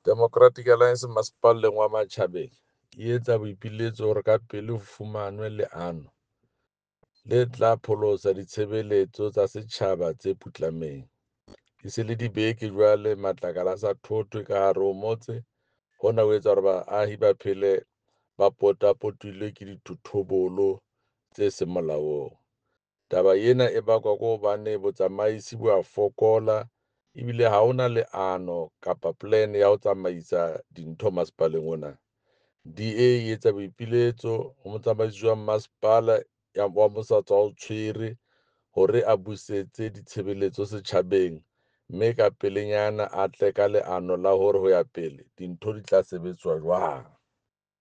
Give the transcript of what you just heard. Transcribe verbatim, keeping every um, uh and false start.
Democratic Alliance masepaleng wa Matjhabeng e etsa boipiletso hore ka pele ho fumanwe leano le tla pholosa ditshebeletso tsa setjhaba tse putlameng. E se le dibeke jwale matlakala a sa thothwe ka hare ho motse. Hona ho etsa hore baahi ba phele ba potapotilwe ke dithothobolo tse seng molaong. Taba ena e bakwa ke hobane botsamaisi bo a fokola ebile ha hona leano kapa plan ya ho tsamaisa dintho masepaleng ona. D_A e etsa boipiletso ho motsamaisi wa masepala wa mo sa tswa o tshwere hore a busetse ditshebeletso setjhabeng, mme ka pelenyana a tle ka leano la hore ho ya pele dintho di tla sebetswa jwang.